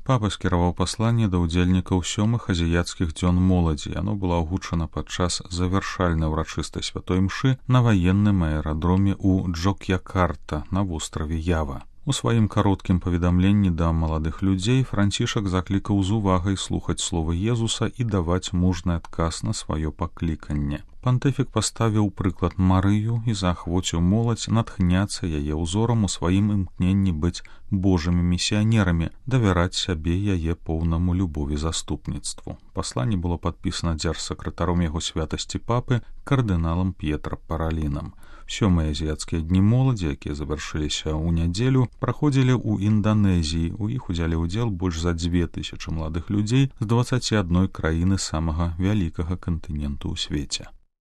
Папа скіраваў пасланне да ўдзельнікаў 7-х азіяцкіх дзён моладзі. Яно было агучана падчас завяршальнай урачыстай святой мшы на ваенным аэрадроме ў Джок'якарта на востраве Ява. У сваім кароткім паведамленні да маладых людзей Францішак заклікаў з увагай слухаць словы Езуса і даваць мужны адказ на сваё пакліканне. Пантыфік паставіў прыклад Марыю і заахвоціў моладзь натхняцца яе ўзорам у сваім імкненні быць божымі місіянерамі, давяраць сябе яе поўнаму любові заступніцтву. Пасланне было падпісана дзяржсакратаром яго святасці папы кардыналам П'етра Паралінам. 7-е азіяцкія дні моладзі, якія завяршыліся ў нядзелю, праходзілі ў Інданезіі. У іх узялі ўдзел больш за 2000 маладых людзей з 21 краіны самага вялікага кантыненту ў свеце.